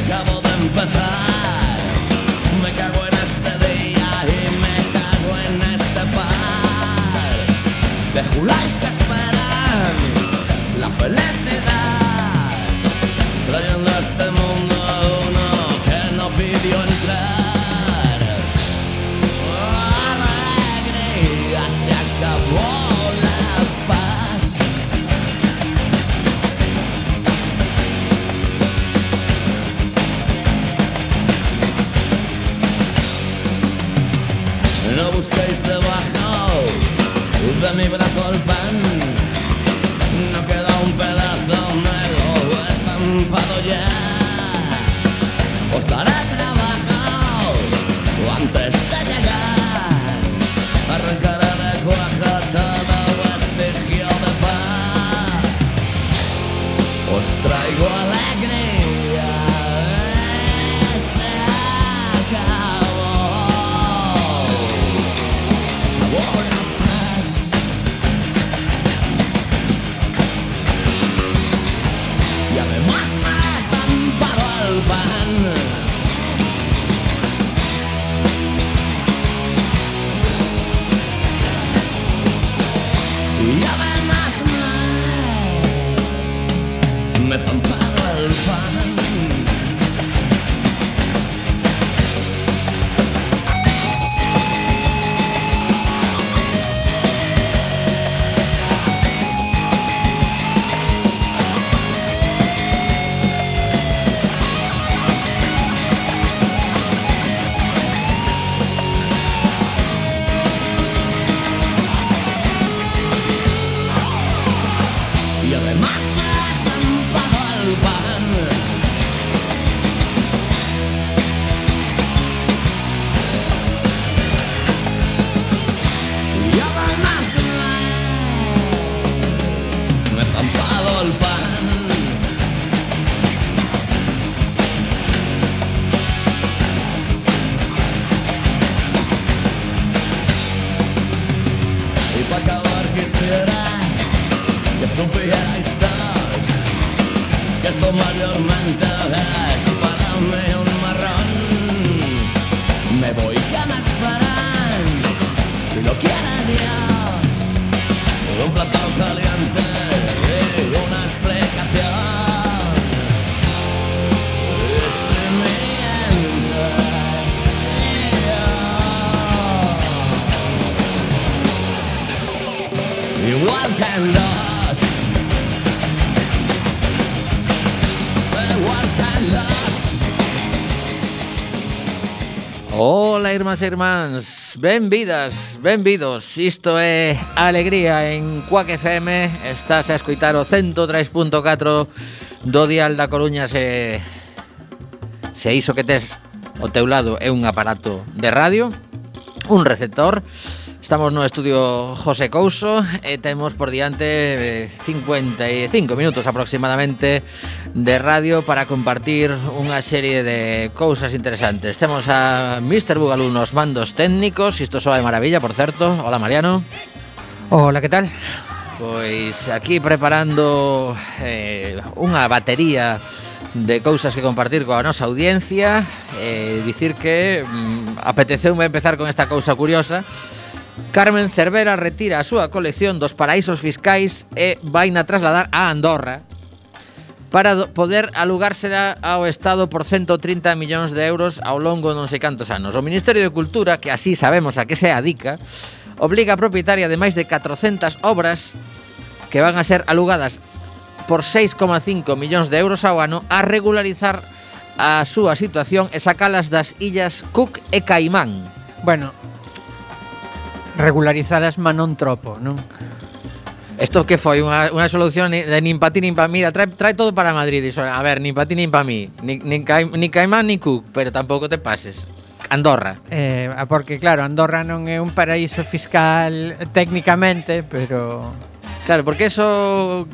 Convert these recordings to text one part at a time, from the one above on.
acabo de empezar. Me cago en este día y me cago en este par de juláis que esperan la felicidad, trayendo a este mundo a uno que no pidió entrar. Alegría, se acabó la paz. No busquéis debajo de mi brazo el pan, no queda un pedazo, me lo he estampado ya. Os daré trabajo antes de llegar, arrancaré de cuaja todo vestigio de paz. Os traigo alegría, se acabó. Y además me he estampado al pan. Y además me he estampado al pan. Y además me he estampado al pan. Y además me he estampado al pan. Y para acabar quisiera que supierais todos que esto mayormente es para mí un marrón. Me voy, que me esperan, si lo quiere Dios, un plato caliente y una explicación. Y si mientes, igual que en dos. Ola, irmás e irmáns, benvidas, benvidos. Isto é Alegría en Cuac FM. Estás a escoitar o 103.4 do dial da Coruña. Se iso que tes ao teu lado é un aparato de radio, un receptor. Estamos no estudio José Couso e temos por diante 55 minutos aproximadamente de radio para compartir unha serie de cousas interesantes. Temos a Mr. Bugalú nos mandos técnicos, isto soa de maravilla, por certo. Hola, Mariano. Hola, que tal? Pois aquí preparando unha batería de cousas que compartir coa nosa audiencia. Dicir que apeteceume empezar con esta cousa curiosa. Carmen Cervera retira a súa colección dos paraísos fiscais e vaina trasladar a Andorra para poder alugársela ao Estado por 130 millóns de euros ao longo de non sei cantos anos. O Ministerio de Cultura, que así sabemos a que se adica, obliga a propietaria de máis de 400 obras que van a ser alugadas por 6,5 millóns de euros ao ano a regularizar a súa situación e sacalas das illas Cook e Caimán. Bueno, regularizalas non tropo, non? Isto que foi unha solución de nin pa ti nin pa mí, trae todo para Madrid. Iso, a ver, nin pa ti nin pa mí, nin Caimán nin Cook, pero tampouco te pases. Andorra. Porque claro, Andorra non é un paraíso fiscal técnicamente, pero claro, porque eso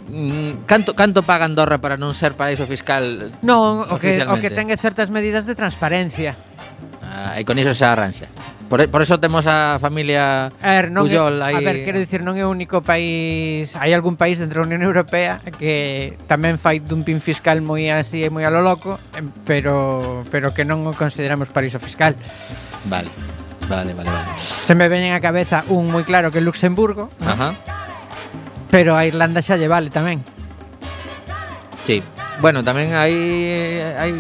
canto paga Andorra para non ser paraíso fiscal? Non, o que ten certas medidas de transparencia. E con iso se arranxa. Por eso temos a familia Pujol aí. A ver, quero dicir, non é o único país. Hai algún país dentro da Unión Europea que tamén fai dumping fiscal moi así e moi a lo loco, pero que non o consideramos paraíso fiscal. Vale. Se me veñen á cabeza un moi claro que é Luxemburgo. Ajá. Pero a Irlanda xa lle vale tamén. Sí. Bueno, tamén hai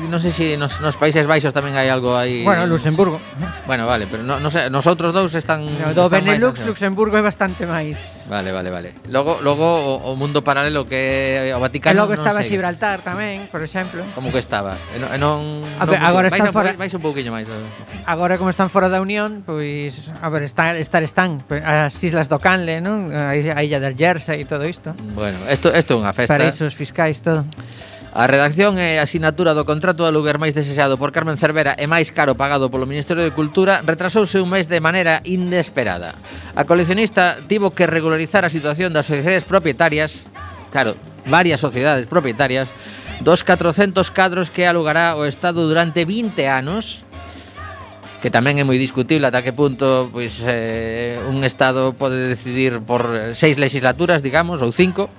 non sei se nos Países Baixos tamén hai algo aí. Bueno, Luxemburgo. Bueno, vale, pero non sei, nosotros dous están do están Benelux, máis, Luxemburgo é bastante máis. Vale. Logo o mundo paralelo que é o Vaticano. E logo estaba sei. Gibraltar tamén, por exemplo. Como que estaba? E non agora están fora. Vais un pouquiño máis. Agora como están fora da Unión, pois a ver, están as Islas do Canle, non? A illa del Jersey e todo isto. Bueno, isto é unha festa. Paraísos fiscais todo. A redacción e a asinatura do contrato de aluguer máis desexado por Carmen Cervera e máis caro pagado polo Ministerio de Cultura retrasouse un mes de maneira inesperada. A coleccionista tivo que regularizar a situación das sociedades propietarias, claro, varias sociedades propietarias, dos 400 cadros que alugará o Estado durante 20 anos, que tamén é moi discutible ata que punto pois un Estado pode decidir por 6 legislaturas, digamos, ou 5,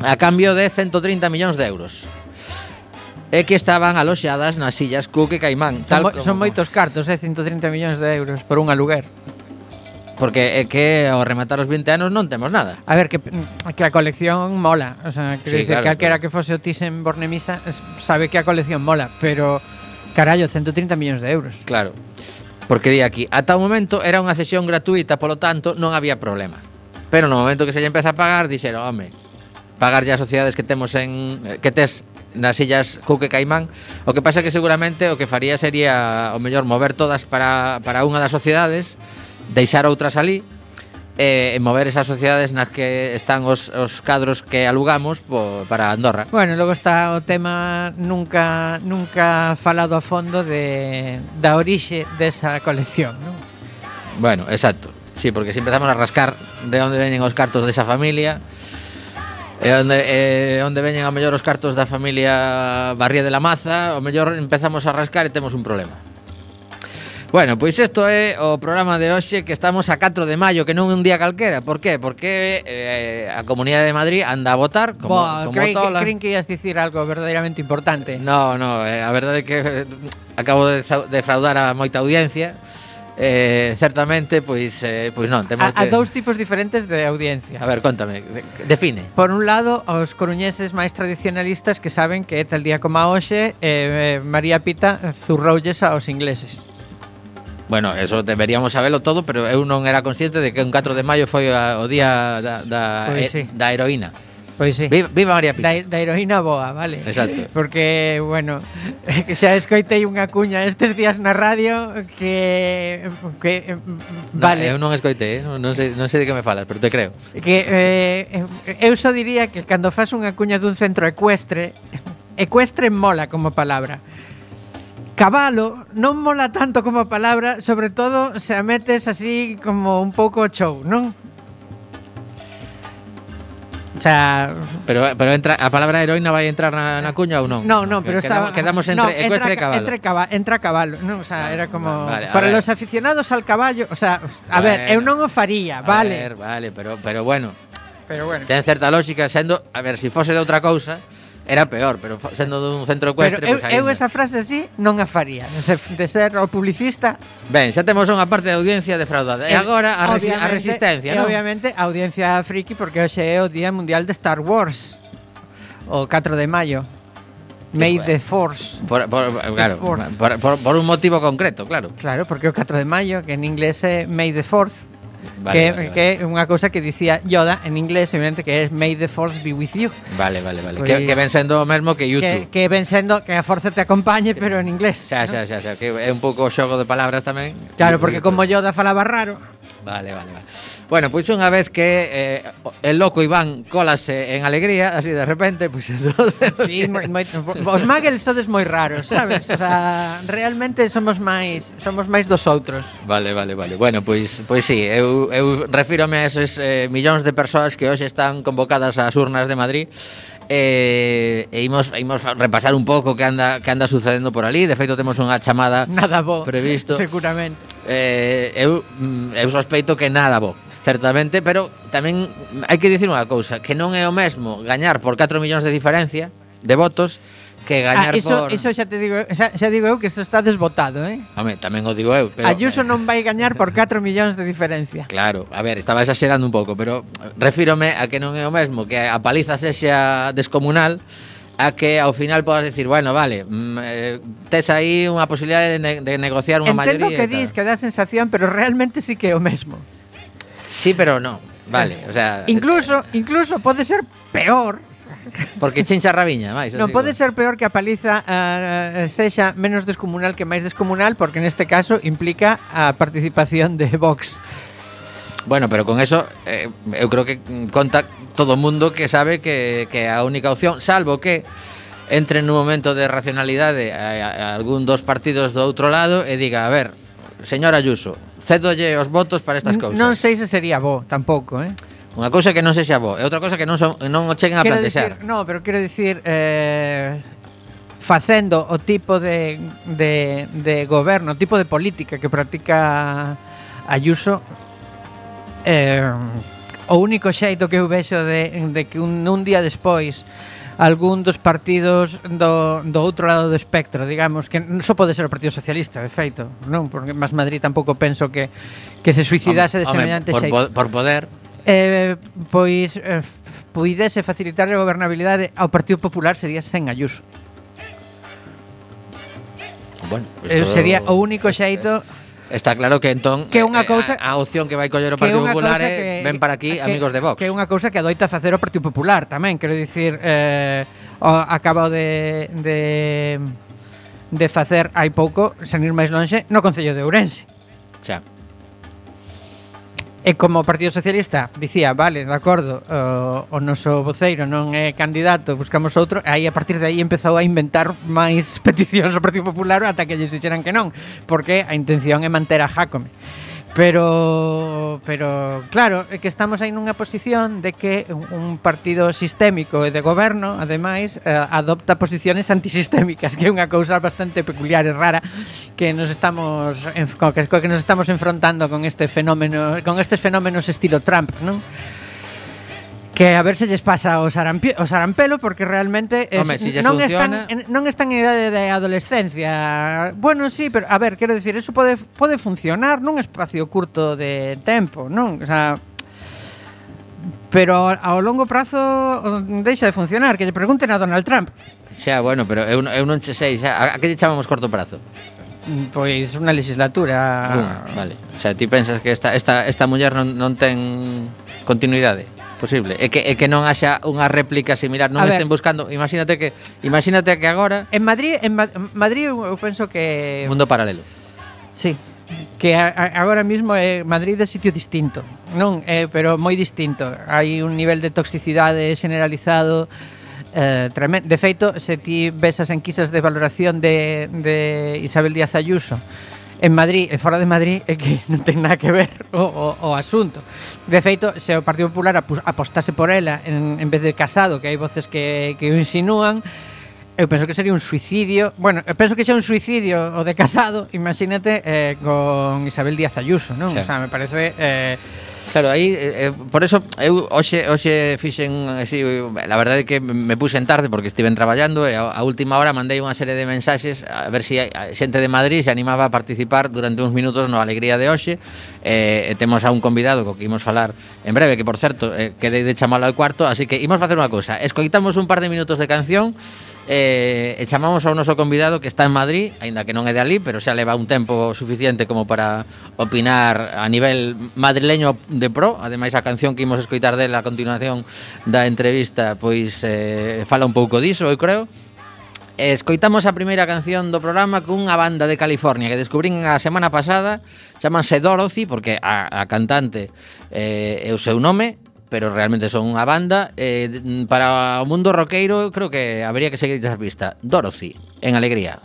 a cambio de 130 millóns de euros. E que estaban aloxadas nas illas Cook e Caimán. Son moitos cartos, 130 millóns de euros por un aluguer. Porque é que ao rematar os 20 anos non temos nada. A ver, que a colección mola. O sea, quero dicir, claro, que calquera que fose o Thyssen-Bornemisza sabe que a colección mola, pero carallo, 130 millóns de euros. Claro. Porque di aquí, ata o momento era unha cesión gratuita, polo tanto non había problema. Pero no momento que se lle empeza a pagar, dixeron, home, pagar ya as sociedades que temos que tes nas illas Cook e Caimán. O que pasa é que seguramente o que faría sería o mellor mover todas para unha das sociedades, deixar outras ali e mover esas sociedades nas que están os cadros que alugamos para Andorra. Bueno, logo está o tema nunca falado a fondo da orixe desa colección, non? Bueno, exacto. Sí, porque se empezamos a rascar de onde veñen os cartos desa familia, onde veñen ao mellor os cartos da familia Barría de la Maza, ao mellor empezamos a rascar e temos un problema. Bueno, pois isto é o programa de hoxe, que estamos a 4 de maio, que non é un día calquera. Por qué? Porque a Comunidade de Madrid anda a votar como tola. Creen que ias dicir algo verdadeiramente importante. No, a verdade é que acabo de defraudar a moita audiencia. Certamente, pois non, temos a dous tipos diferentes de audiencia. A ver, contame, define. Por un lado, os coruñeses máis tradicionalistas que saben que tal día como a hoxe María Pita zurroulles aos ingleses. Bueno, eso deberíamos sabelo todo, pero eu non era consciente de que un 4 de maio foi o día da heroína. Pois sí. Viva María Pita. Da heroína boa, vale. Exacto. Porque, bueno, xa escoitei unha cuña estes días na radio que vale. Eu non escoitei, non sei de que me falas, pero te creo. Que eu só diría que cando fas unha cuña dun centro ecuestre mola como palabra. Cabalo non mola tanto como palabra, sobre todo se a metes así como un pouco show, non? O sea, pero entra a palabra heroína vai entrar na cuña ou non? No, pero quedamos entre ecuestre e cabalo. Entra cabalo, non, o sea, era como vale, para los aficionados al caballo, o sea, ver, eu non o faría, vale. Vale, pero bueno. Pero bueno. Ten certa lógica, sendo, a ver, se fose de outra cousa era peor, pero sendo dun centro ecuestre, pues eu esa frase así non a faría, de ser o publicista. Ben, xa temos unha parte da audiencia defraudada. E agora a resistencia, non? Obviamente a audiencia friki, porque hoxe é o Día Mundial de Star Wars, o 4 de maio. May the Force. Claro, por un motivo concreto, claro. Claro, porque o 4 de maio, que en inglés é May the 4th. Vale. Que é unha cousa que dicía Yoda en inglés, evidente, que é May the Force be with you. Vale. Pues, que ven sendo o mesmo que YouTube. Que ven sendo que a forza te acompañe, pero en inglés. Xa, que é un pouco xogo de palabras tamén. Claro, porque como Yoda falaba raro. Vale. Bueno, pois unha vez que el loco Iván cólase en alegría, así de repente, pois entonces... Sí, os muggles sodes moi raros, sabes? O sea, realmente somos máis dos outros. Vale. Bueno, pois sí, eu refírome a esos millóns de persoas que hoxe están convocadas ás urnas de Madrid. E imos repasar un pouco que anda sucedendo por ali. De feito, temos unha chamada nada bo, previsto. seguramente. eu sospeito que nada bo, certamente, pero tamén hai que dicir unha cousa, que non é o mesmo gañar por 4 millóns de diferencia de votos que gañar por... Iso xa te digo, xa digo eu que iso está desbotado, Home, tamén o digo eu, pero... Ayuso non vai gañar por 4 millóns de diferencia. Claro, a ver, estaba exagerando un pouco, pero refírome a que non é o mesmo que a paliza sexa descomunal a que ao final podas decir, bueno, vale, tes aí unha posibilidade de negociar unha maioría. Entendo que dis que dá sensación, pero realmente sí que é o mesmo. Sí, pero non, vale, o sea... Incluso pode ser peor. Porque chincha a rabiña, máis. Non pode ser peor que a paliza sexa menos descomunal que máis descomunal, porque neste caso implica a participación de Vox. Bueno, pero con eso eu creo que conta todo o mundo que sabe que a única opción, salvo que entre nun momento de racionalidade a algún dos partidos do outro lado e diga, a ver, señor Ayuso, cédolle os votos para estas cousas. Non sei se sería bo, tampouco, Unha cousa que non sexa bo, e outra cousa que non o cheguen a plantexar. Quero dicir, facendo o tipo de goberno, o tipo de política que practica Ayuso, o único xeito que eu vexo de que un día despois algún dos partidos do outro lado do espectro, digamos, que só pode ser o Partido Socialista, de feito, non? Porque Más Madrid tampouco penso que se suicidase de semellante xeito. Por poder... Pois puidese facilitar a gobernabilidade ao Partido Popular sería sen Ayuso. Bueno, pues sería o único xeito. Está claro que entón que unha cousa, a opción que vai coller o Partido Popular ven para aquí amigos de Vox. Que é unha cousa que adoita facer o Partido Popular tamén, quero dicir, acabo de facer hai pouco, sen ir máis lonxe, no Concello de Ourense. Xa. E como o Partido Socialista dicía, vale, de acordo, o noso voceiro non é candidato, buscamos outro, e aí a partir de aí empezou a inventar máis peticións ao Partido Popular ata que lles dixeran que non, porque a intención é manter a Jácome. Pero claro, é que estamos aí nunha posición de que un partido sistémico e de goberno, ademais, adopta posiciones antisistémicas, que é unha cousa bastante peculiar e rara que nos estamos enfrontando con estes fenómenos estilo Trump, non? Que a ver se lles pasa o sarampelo, porque realmente non están en idade de adolescencia. Bueno, sí, pero a ver, quero dicir, eso pode funcionar nun espacio curto de tempo, non? O sea, pero ao longo prazo deixa de funcionar. Que lle pregunten a Donald Trump. Xa, bueno, pero eu non che sei, xa, a que lle chamamos corto prazo? Pois unha legislatura. Vale. O sea, ti pensas que esta muller non ten continuidade? Posible. É que non haxa unha réplica similar, non estén buscando. Imagínate que agora en Madrid eu penso que mundo paralelo. Sí. Que agora mismo Madrid é sitio distinto, non? Pero moi distinto. Hai un nivel de toxicidade generalizado tremendo. De feito, se ti ves as enquisas de valoración de Isabel Díaz Ayuso en Madrid e fora de Madrid, é que non ten nada que ver o asunto. De feito, se o Partido Popular apostase por ela en vez de Casado, que hai voces que o insinúan, eu penso que sería un suicidio. Bueno, eu penso que xa un suicidio o de Casado, imagínate, con Isabel Díaz Ayuso, non? Sí. O sea, me parece... Claro, aí, por eso, eu hoxe fixen, así, la verdade é que me puxen tarde porque estiven traballando e a última hora mandei unha serie de mensaxes a ver se a xente de Madrid se animaba a participar durante uns minutos no Alegría de hoxe. Temos a un convidado co que imos falar en breve, que por certo, quedei de chamalo ao cuarto, así que imos facer unha cousa, escoitamos un par de minutos de canción e chamamos ao noso convidado que está en Madrid, aínda que non é de ali, pero xa leva un tempo suficiente como para opinar a nivel madrileño de pro. Ademais, a canción que imos escoitar dela a continuación da entrevista pois fala un pouco diso, eu creo. Escoitamos a primeira canción do programa cunha banda de California que descubrín a semana pasada, chamanse Dorothy, porque a cantante é o seu nome, pero realmente son unha banda. Para o mundo roqueiro creo que habría que seguir esa pista. Dorothy, en Alegría.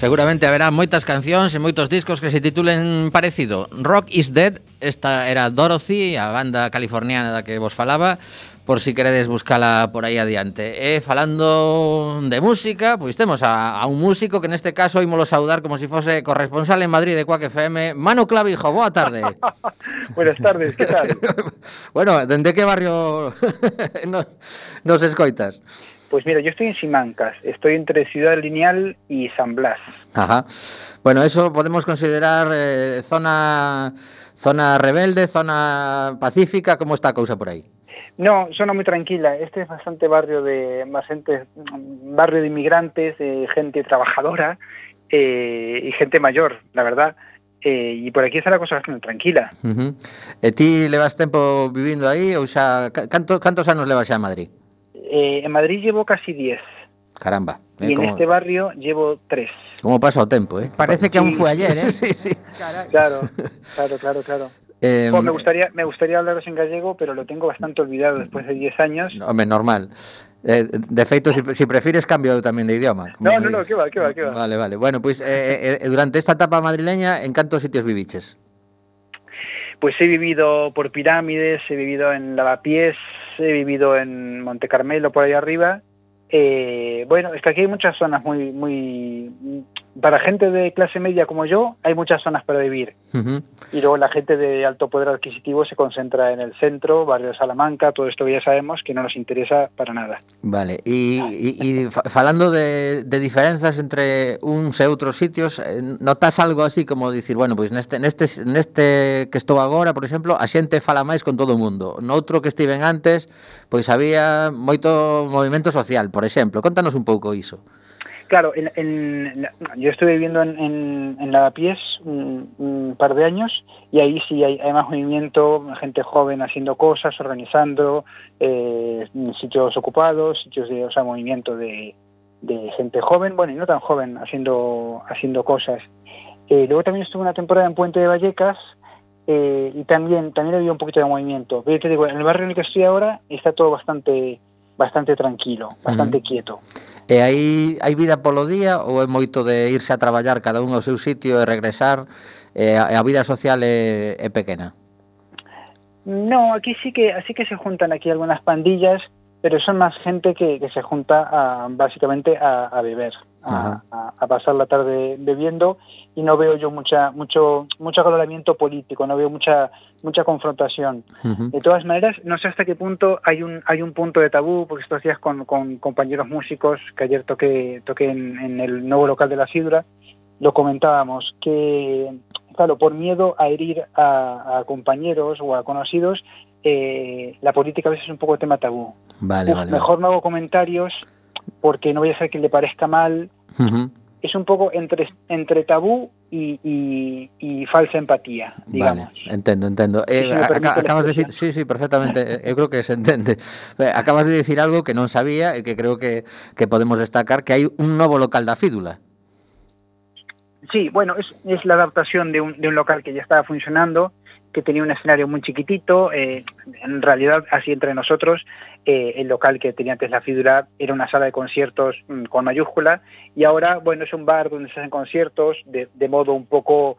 Seguramente haberá moitas cancións e moitos discos que se titulen parecido. Rock is Dead, esta era Dorothy, a banda californiana da que vos falaba, por si queredes buscala por aí adiante. E falando de música, pois temos a un músico que neste caso ímolo saudar como se fose corresponsal en Madrid de Quack FM, Manu Clavijo, boa tarde. Buenas tardes, que tal? Bueno, dende que barrio nos escoitas? Pues mira, yo estoy en Simancas, estoy entre Ciudad Lineal y San Blas. Ajá. Bueno, eso podemos considerar zona rebelde, zona pacífica, ¿cómo está a cousa por aí? No, zona muy tranquila. Este es bastante barrio de inmigrantes, gente trabajadora y gente mayor, la verdad. Y por aquí está la cosa bastante tranquila. E ti levas tempo vivindo aí ou xa cantos anos levas xa en Madrid? En Madrid llevo casi 10. Caramba. Y en este barrio llevo 3. ¿Cómo pasa o tempo, Parece que aún fue ayer, ¿eh? Sí, sí. Claro. Me gustaría hablaros en gallego, pero lo tengo bastante olvidado después de 10 años. Home, normal. De feito, si prefires cambio tamén de idioma. No, que va. Vale. Bueno, pois durante esta etapa madrileña, en cantos sitios viviches? Pues he vivido por Pirámides, he vivido en Lavapiés, he vivido en Monte Carmelo, por ahí arriba. Bueno, es que aquí hay muchas zonas muy... Para gente de clase media como yo, hay muchas zonas para vivir. Y luego la gente de alto poder adquisitivo se concentra en el centro, barrio de Salamanca, todo esto que ya sabemos que no nos interesa para nada. Vale, e falando de diferenzas entre uns e outros sitios, notas algo así como dicir, bueno, pois neste que estou agora, por exemplo, a xente fala máis con todo o mundo. Noutro que estiven antes, pois había moito movimento social, por exemplo. Contanos un pouco iso. Claro, yo estuve viviendo en Lavapiés un par de años y ahí sí hay más movimiento, gente joven haciendo cosas, organizando sitios ocupados, movimiento de gente joven, bueno, y no tan joven, haciendo cosas. Luego también estuve una temporada en Puente de Vallecas y también había un poquito de movimiento. Pero te digo, en el barrio en el que estoy ahora está todo bastante tranquilo, bastante quieto. E hai vida polo día ou é moito de irse a traballar cada un ao seu sitio e regresar e a vida social é pequena? No, aquí sí que se juntan aquí algunas pandillas, pero son más gente que se junta básicamente a beber, a pasar la tarde bebiendo, y no veo yo mucho acaloramiento político, no veo mucha confrontación. De todas maneras, no sé hasta qué punto hay un punto de tabú, porque estos días con compañeros músicos, que ayer toqué en el nuevo local de la Sidra, lo comentábamos, que claro, por miedo a herir a compañeros o a conocidos, la política a veces es un poco tema tabú. Vale. Mejor no hago comentarios porque no voy a hacer que le parezca mal. Es un poco entre tabú y falsa empatía, digamos. Vale, entendo. Acabas de decir, sí, perfectamente, eu creo que se entende. Acabas de decir algo que non sabía e que creo que podemos destacar, que hai un novo local da Fídula. Sí, bueno, es la adaptación de un local que ya estaba funcionando, que tenía un escenario muy chiquitito. En realidad, así entre nosotros, el local que tenía antes la Fídula era una sala de conciertos con mayúscula, y ahora, bueno, es un bar donde se hacen conciertos de modo un poco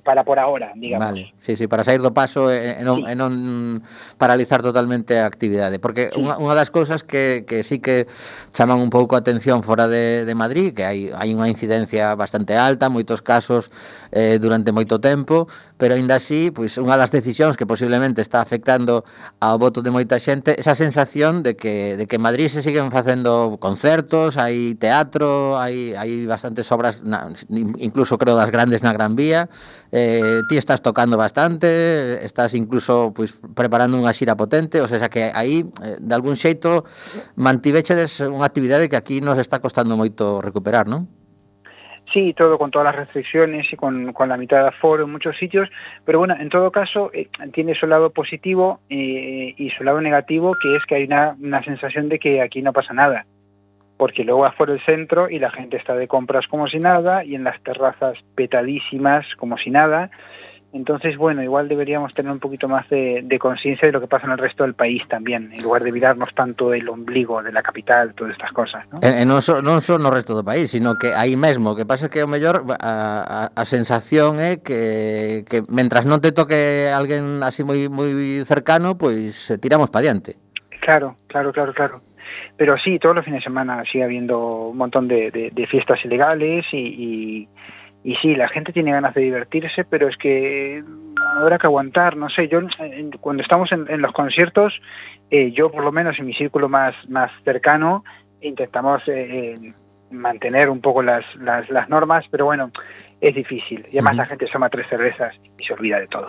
para por ahora, digamos. Vale, sí, para sair do paso e non paralizar totalmente a actividade, porque unha das cousas que sí que chaman un pouco a atención fora de Madrid, que hai unha incidencia bastante alta, moitos casos durante moito tempo, pero aínda así, pois unha das decisións que posiblemente está afectando ao voto de moita xente, esa sensación de que en Madrid se siguen facendo concertos, hai teatro, hai bastantes obras, incluso creo das grandes na Gran Vía. Ti estás tocando bastante, estás incluso pois preparando unha xira potente, o sea que aí de algún xeito mantivechedes unha actividade que aquí nos está costando moito recuperar, non? Sí, todo con todas las restricciones y con la mitad de aforo en muchos sitios, pero bueno, en todo caso tiene su lado positivo y su lado negativo, que es que hay una sensación de que aquí no pasa nada, porque luego vas por el centro y la gente está de compras como si nada, y en las terrazas petadísimas como si nada, Entonces, bueno, igual deberíamos tener un poquito más de conciencia de lo que pasa en el resto del país también, en lugar de mirarnos tanto el ombligo de la capital, todas estas cosas, ¿no? Non só no resto do país, sino que aí mesmo, que pasa que o mellor a sensación é que mentras non te toque alguén así moi cercano, pois tiramos para diante. Claro. Pero sí, todos los fines de semana sigue habiendo un montón de fiestas ilegales y sí, la gente tiene ganas de divertirse, pero es que habrá que aguantar, no sé, yo cuando estamos en los conciertos, yo por lo menos en mi círculo más cercano, intentamos mantener un poco las normas, pero bueno, es difícil. Y además la gente toma 3 cervezas y se olvida de todo.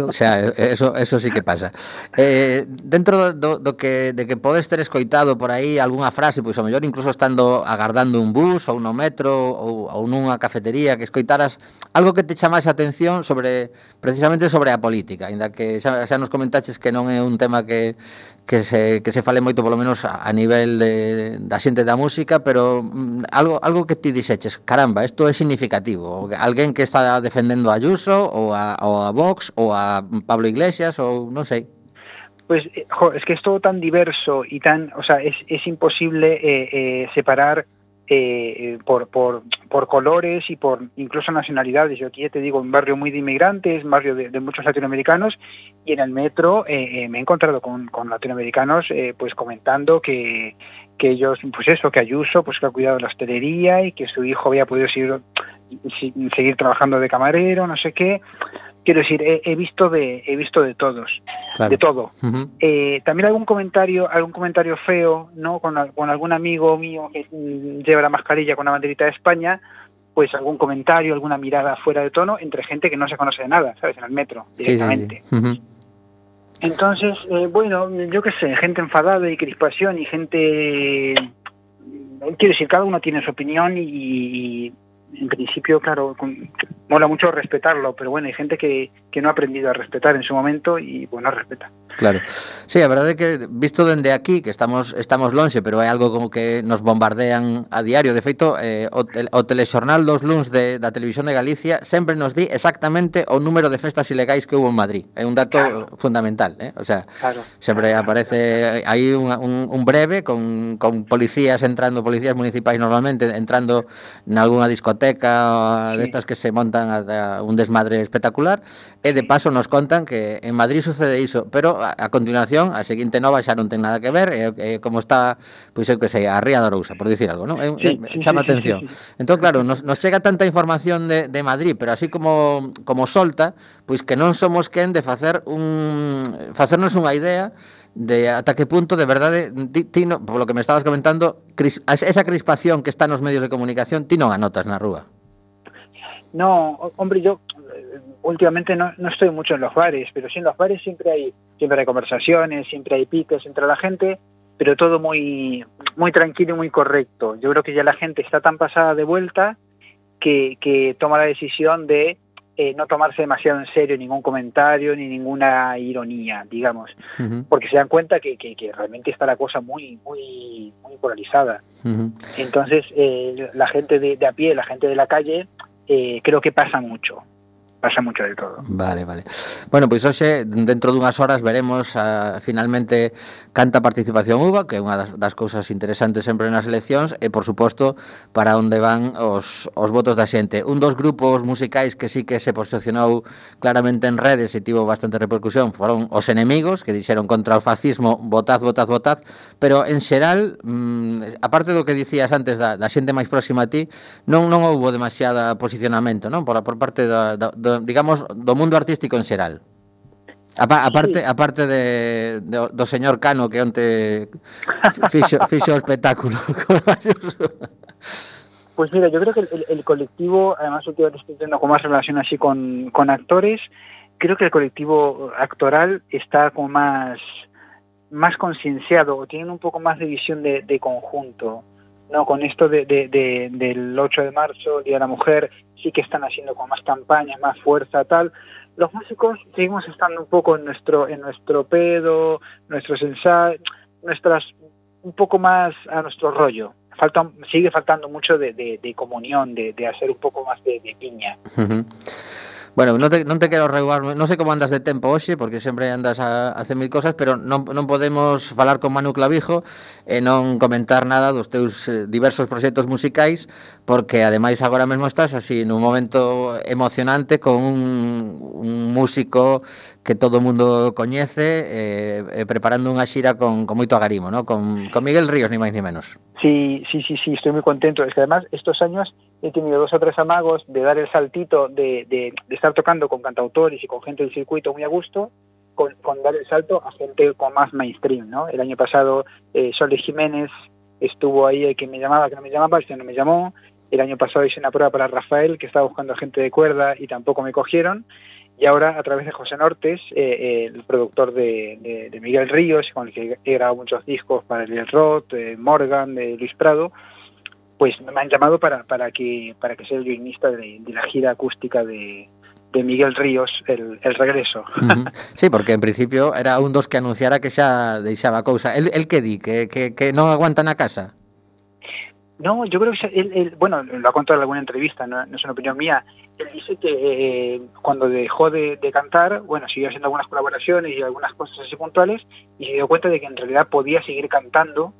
O sea, eso sí que pasa. Dentro do que podes ter escoitado por aí algunha frase, pois ao mellor incluso estando agardando un bus ou no metro ou nunha cafetería, que escoitaras algo que te chamase a atención precisamente sobre a política, ainda que xa nos comentaches que non é un tema que se fale moito, polo menos a nivel da xente da música, pero algo que ti dixeches, caramba, isto é significativo, alguén que está defendendo a Ayuso ou a Vox ou a Pablo Iglesias ou non sei. Pues es que es todo tan diverso y tan, o sea, es imposible separar por colores y por incluso nacionalidades. Yo aquí te digo, un barrio muy de inmigrantes, un barrio de muchos latinoamericanos, y en el metro me he encontrado con latinoamericanos pues comentando que ellos, pues eso, que Ayuso pues que ha cuidado la hostelería y que su hijo había podido seguir trabajando de camarero, no sé qué. Quiero decir, he visto de todos, claro. De todo. Uh-huh. También algún comentario feo, ¿no? Con algún amigo mío que lleva la mascarilla con la banderita de España, pues algún comentario, alguna mirada fuera de tono entre gente que no se conoce de nada, ¿sabes? En el metro, directamente. Sí. Uh-huh. Entonces, bueno, yo qué sé, gente enfadada y crispación y gente... Quiero decir, cada uno tiene su opinión y en principio, claro, mola mucho respetarlo, pero bueno, hay gente que no ha aprendido a respetar en su momento y, bueno, respeta. Claro. Sí, a verdade é que, visto dende aquí, que estamos lonxe, pero é algo como que nos bombardean a diario. De feito, o telexornal dos luns da Televisión de Galicia sempre nos di exactamente o número de festas ilegais que hubo en Madrid. É un dato fundamental, O sea, sempre aparece aí un breve con policías municipais normalmente entrando nalgúna discoteca destas que se montan a un desmadre espectacular, e de paso nos contan que en Madrid sucede iso, pero a continuación a seguinte nova xa non ten nada que ver, como está, pois eu que sei, a Ría de Arousa, por dicir algo, non? Chama atención. Entón, claro, nos chega tanta información de Madrid, pero así como solta, pois que non somos quen de facernos unha idea de ata que punto de verdade ti no, por lo que me estabas comentando, esa crispación que está nos medios de comunicación, ti non a notas na rúa. No, hombre, yo últimamente no estoy mucho en los bares, pero sí en los bares siempre hay conversaciones, siempre hay piques entre la gente, pero todo muy muy tranquilo y muy correcto. Yo creo que ya la gente está tan pasada de vuelta que toma la decisión de no tomarse demasiado en serio ningún comentario ni ninguna ironía, digamos, uh-huh. Porque se dan cuenta que realmente está la cosa muy muy muy polarizada. Uh-huh. Entonces la gente de a pie, la gente de la calle, creo que pasa mucho de todo. Vale. Bueno, pois hoxe, dentro dunhas horas, veremos finalmente canta participación hubo, que é unha das cousas interesantes sempre nas eleccións, e, por suposto, para onde van os votos da xente. Un dos grupos musicais que sí que se posicionou claramente en redes e tivo bastante repercusión foron os Enemigos, que dixeron contra o fascismo, votad, pero, en xeral, aparte do que dicías antes da xente máis próxima a ti, non houbo demasiada posicionamento, non? Por parte digamos, do mundo artístico en xeral. Aparte do señor Cano, que onte fixo o espectáculo. Pues mira, yo creo que el colectivo, además últimamente estoy teniendo como más relación así con actores, creo que el colectivo actoral está como más concienciado, o tienen un poco más de visión de conjunto, ¿no? Con esto del 8 de marzo, Día de la Mujer, sí que están haciendo con más campañas, más fuerza, tal. Los músicos seguimos estando un poco en nuestro pedo, nuestros ensayos, un poco más a nuestro rollo. Sigue faltando mucho de comunión, de hacer un poco más de piña. Uh-huh. Bueno, non te quero reubar, non sei como andas de tempo hoxe, porque sempre andas a hacer mil cosas, pero non podemos falar con Manu Clavijo e non comentar nada dos teus diversos proxectos musicais, porque ademais agora mesmo estás así nun momento emocionante con un músico que todo o mundo coñece, preparando unha xira con moito agarimo, ¿no? Con Miguel Ríos, ni máis ni menos. Sí, estoy muy contento. Es que además estos años he tenido 2 o 3 amagos de dar el saltito de estar tocando con cantautores y con gente del circuito muy a gusto, con dar el salto a gente con más mainstream, ¿no? El año pasado Soles Jiménez estuvo ahí, que me llamaba, que no me llamaba, este no me llamó. El año pasado hice una prueba para Rafael, que estaba buscando gente de cuerda y tampoco me cogieron. Y ahora, a través de José Nortes, el productor de Miguel Ríos, con el que he grabado muchos discos para el Roth, Morgan, de Luis Prado, pues me han llamado para que sea el violinista de la gira acústica de Miguel Ríos, el regreso. Sí, porque en principio era un dos que anunciara que xa deixaba cousa. El que di? Que non aguanta na casa? No, yo creo que él bueno, lo ha contado en alguna entrevista, no es una opinión mía. Él dice que cuando dejó de cantar, bueno, siguió haciendo algunas colaboraciones y algunas cosas así puntuales, y se dio cuenta de que en realidad podía seguir cantando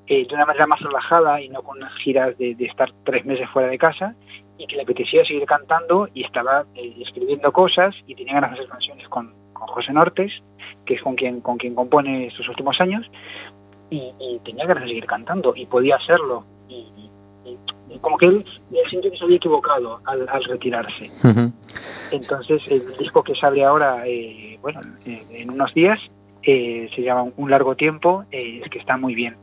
de una manera más relajada y no con unas giras de estar 3 meses fuera de casa, y que le apetecía seguir cantando y estaba escribiendo cosas y tenía ganas de hacer canciones con José Nortes, que es con quien compone estos últimos años, y tenía ganas de seguir cantando y podía hacerlo. Y como que él sintió que se había equivocado al retirarse. Entonces el disco que sale ahora, en unos días, se llama Un largo tiempo, es que está muy bien,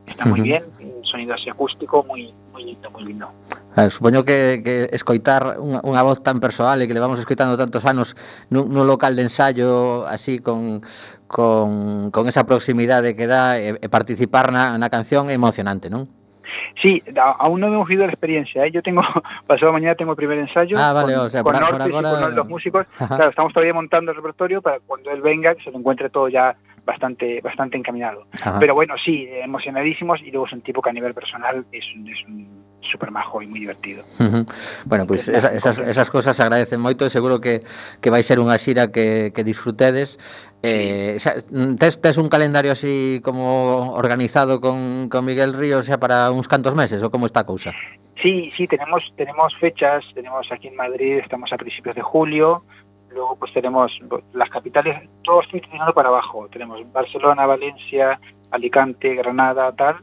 un sonido así acústico muy lindo. Supoño que escoitar unha voz tan persoal e que levamos escoitando tantos anos nun local de ensayo así con esa proximidade que dá e participar na canción é emocionante, non? Sí, aún no hemos vivido la experiencia, ¿eh? Yo pasado mañana tengo el primer ensayo vale, con, o sea, con por Nortes ahora... y con los músicos. Claro, estamos todavía montando el repertorio para cuando él venga, que se lo encuentre todo ya bastante encaminado. Ajá. Pero bueno, sí, emocionadísimos, y luego es un tipo que a nivel personal es un súper majo y muy divertido. Bueno, pues esas cosas se agradecen moito, e seguro que vai ser unha xira que disfrutedes. Tes un calendario así como organizado con Miguel Ríos xa para uns cantos meses, ou como está a cousa? Sí, tenemos fechas, tenemos aquí en Madrid, estamos a principios de julio, luego pues tenemos las capitales, todo estoy tirando para abajo, tenemos Barcelona, Valencia, Alicante, Granada, tal.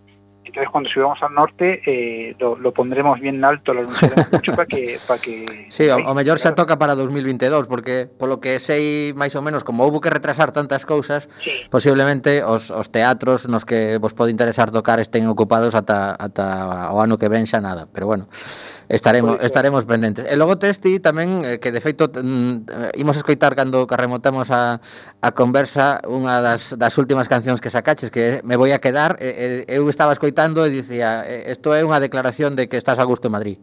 Entonces cuando subamos al norte lo pondremos bien alto, lo anunciaremos mucho para que sí, o mellor xa toca para 2022, porque polo que sei máis ou menos, como houve que retrasar tantas cousas, sí, posiblemente os teatros nos que vos pode interesar tocar estén ocupados ata o ano que ven xa nada, pero bueno, estaremos pendentes. E logo testi tamén, que de feito imos escoitar cando remotamos a conversa, unha das últimas cancións que sacaches, que Me voy a quedar. Eu estaba escoitando e dicía, isto é unha declaración de que estás a gusto en Madrid.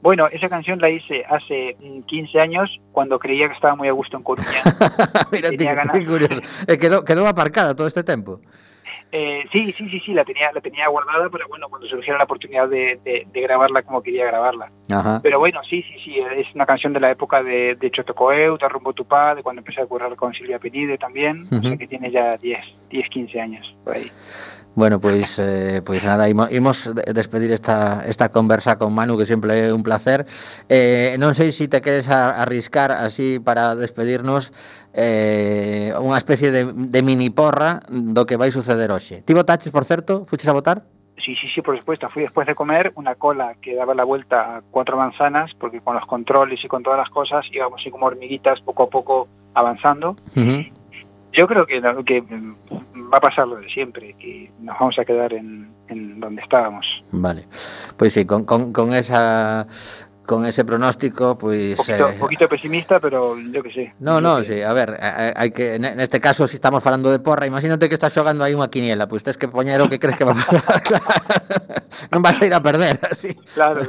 Bueno, esa canción la hice hace 15 años, cuando creía que estaba muy a gusto en Coruña. Mira, tío, qué curioso. Quedó aparcada todo este tiempo. Sí, la tenía guardada, pero bueno, cuando surgiera la oportunidad de grabarla como quería grabarla. Ajá. Pero bueno, sí, es una canción de la época de Chotocoeu, de Rumbo Tupá, de cuando empecé a currar con Silvia Penide también, o sea que tiene ya 10, 15 años por ahí. Bueno, pois nada, imos despedir esta conversa con Manu, que sempre é un placer. Non sei se te queres arriscar así para despedirnos unha especie de mini porra do que vai suceder hoxe. Ti votaches, por certo? Fuches a votar? Sí, por supuesto. Fui después de comer una cola que daba la vuelta a 4 manzanas, porque con los controles y con todas las cosas íbamos así como hormiguitas poco a poco avanzando. Yo creo que va a pasar lo de siempre, que nos vamos a quedar en donde estábamos. Vale, pues sí, con ese pronóstico, pues... Un poquito pesimista, pero yo que sé. Sí, a ver, hai que, neste caso, si estamos falando de porra, imagínate que estás xogando aí unha quiniela, pues tes que poñer o que crees que va a pasar, claro. Non vas a ir a perder, así. Claro.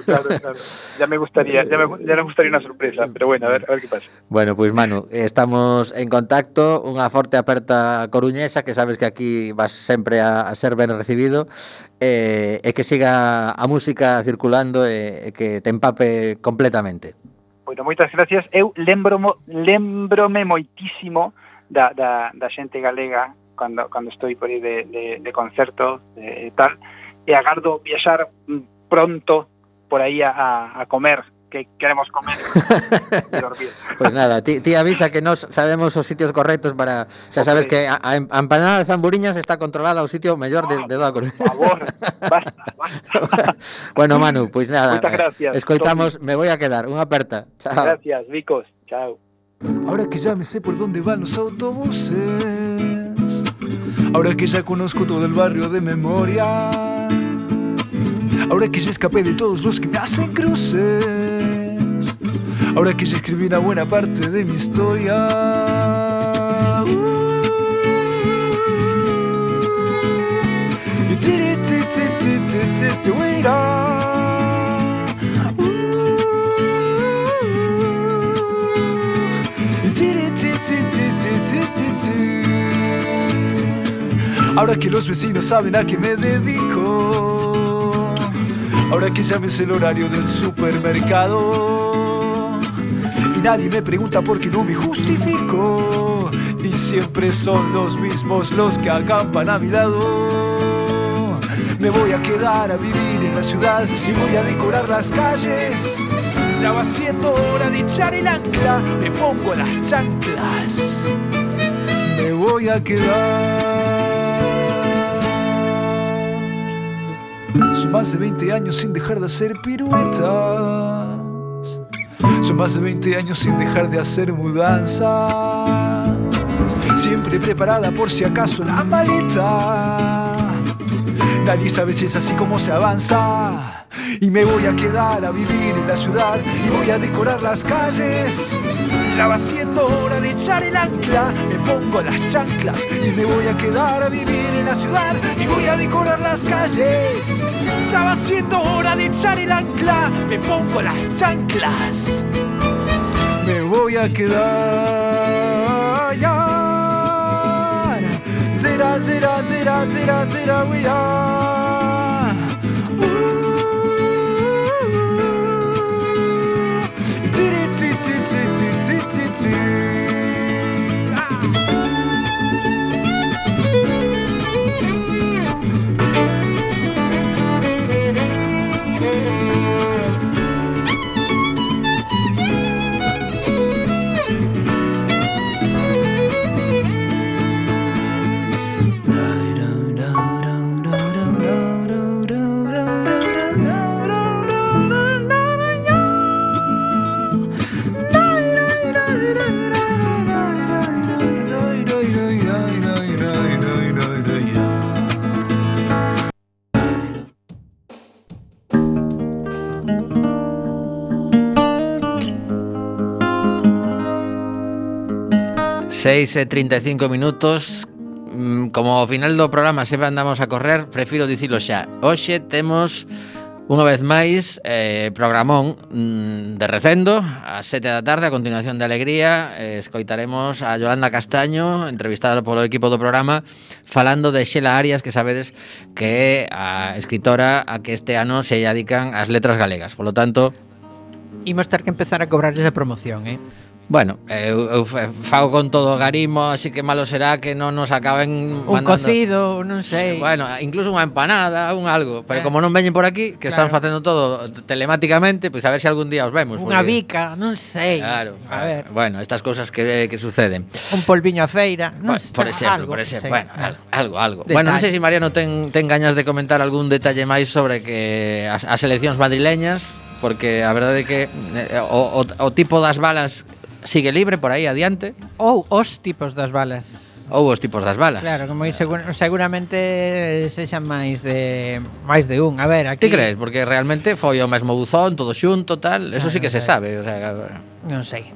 Ya me gustaría una sorpresa, pero bueno, a ver qué pasa. Bueno, pues Manu, estamos en contacto, unha forte aperta coruñesa, que sabes que aquí vas sempre a ser ben recibido, e que siga a música circulando e que te empape completamente. Bueno, moitas gracias. Eu lembrome moitísimo da xente galega cando estou por aí de concerto e tal, e agardo viaxar pronto por aí a comer, que queremos comer e dormir. Pues nada, ti avisa que nos sabemos os sitios correctos para... Xa sabes que a empanada de Zamburiñas está controlada ao sitio mellor de toda a Coruña. Por favor, basta. Bueno, Manu, pois nada, Moitas gracias, escoitamos, me voy a quedar. Unha aperta. Chao. Gracias, Vicos. Chao. Ahora que ya me sé por dónde van los autobuses, ahora que ya conozco todo el barrio de memoria, ahora que ya escapé de todos los que me hacen cruces, ahora que ya escribí una buena parte de mi historia. Ahora que los vecinos saben a qué me dedico, ahora que ya me sé el horario del supermercado y nadie me pregunta por qué no me justifico, y siempre son los mismos los que acampan a mi lado. Me voy a quedar a vivir en la ciudad y voy a decorar las calles. Ya va siendo hora de echar el ancla, me pongo las chanclas, me voy a quedar. Son más de 20 años sin dejar de hacer piruetas, son más de 20 años sin dejar de hacer mudanzas, siempre preparada por si acaso la maleta. Nadie sabe si es así como se avanza. Y me voy a quedar a vivir en la ciudad y voy a decorar las calles. Ya va siendo hora de echar el ancla, me pongo las chanclas y me voy a quedar a vivir en la ciudad y voy a decorar las calles. Ya va siendo hora de echar el ancla, me pongo las chanclas, me voy a quedar. Zera, zera, zera, zera, zera, we are. Seis e 35 minutos. Como ao final do programa sempre andamos a correr, prefiro dicilo xa. Hoxe temos unha vez máis programón de recendo ás 7 da tarde, a continuación de Alegría. Escoitaremos a Yolanda Castaño, entrevistada polo equipo do programa, falando de Xela Arias, que sabedes que é a escritora a que este ano se dedican as letras galegas. Por lo tanto, imos ter que empezar a cobrar esa promoción, bueno, eu fago con todo o garimo, así que malo será que non nos acaben un mandando... cocido, non sei. Bueno, incluso unha empanada, un algo. Pero como non veñen por aquí, que claro, están facendo todo telemáticamente, pois a ver se algún día os vemos. Unha porque... bica, non sei. Claro, a ver. Bueno, estas cousas que suceden. Un polviño a feira, non sei. Por exemplo, sei. bueno, algo. Detalle. Bueno, non sei se Mariano ten gañas de comentar algún detalle máis sobre que as eleccións madrileñas, porque a verdade é que o tipo das balas sigue libre por aí adiante. Ou os tipos das balas. Ou os tipos das balas. Claro, como seguramente sexan máis de un. A ver, aquí... Ti crees? Porque realmente foi o mesmo buzón, todo xunto, tal. Eso sí que se sabe. O sea, non sei.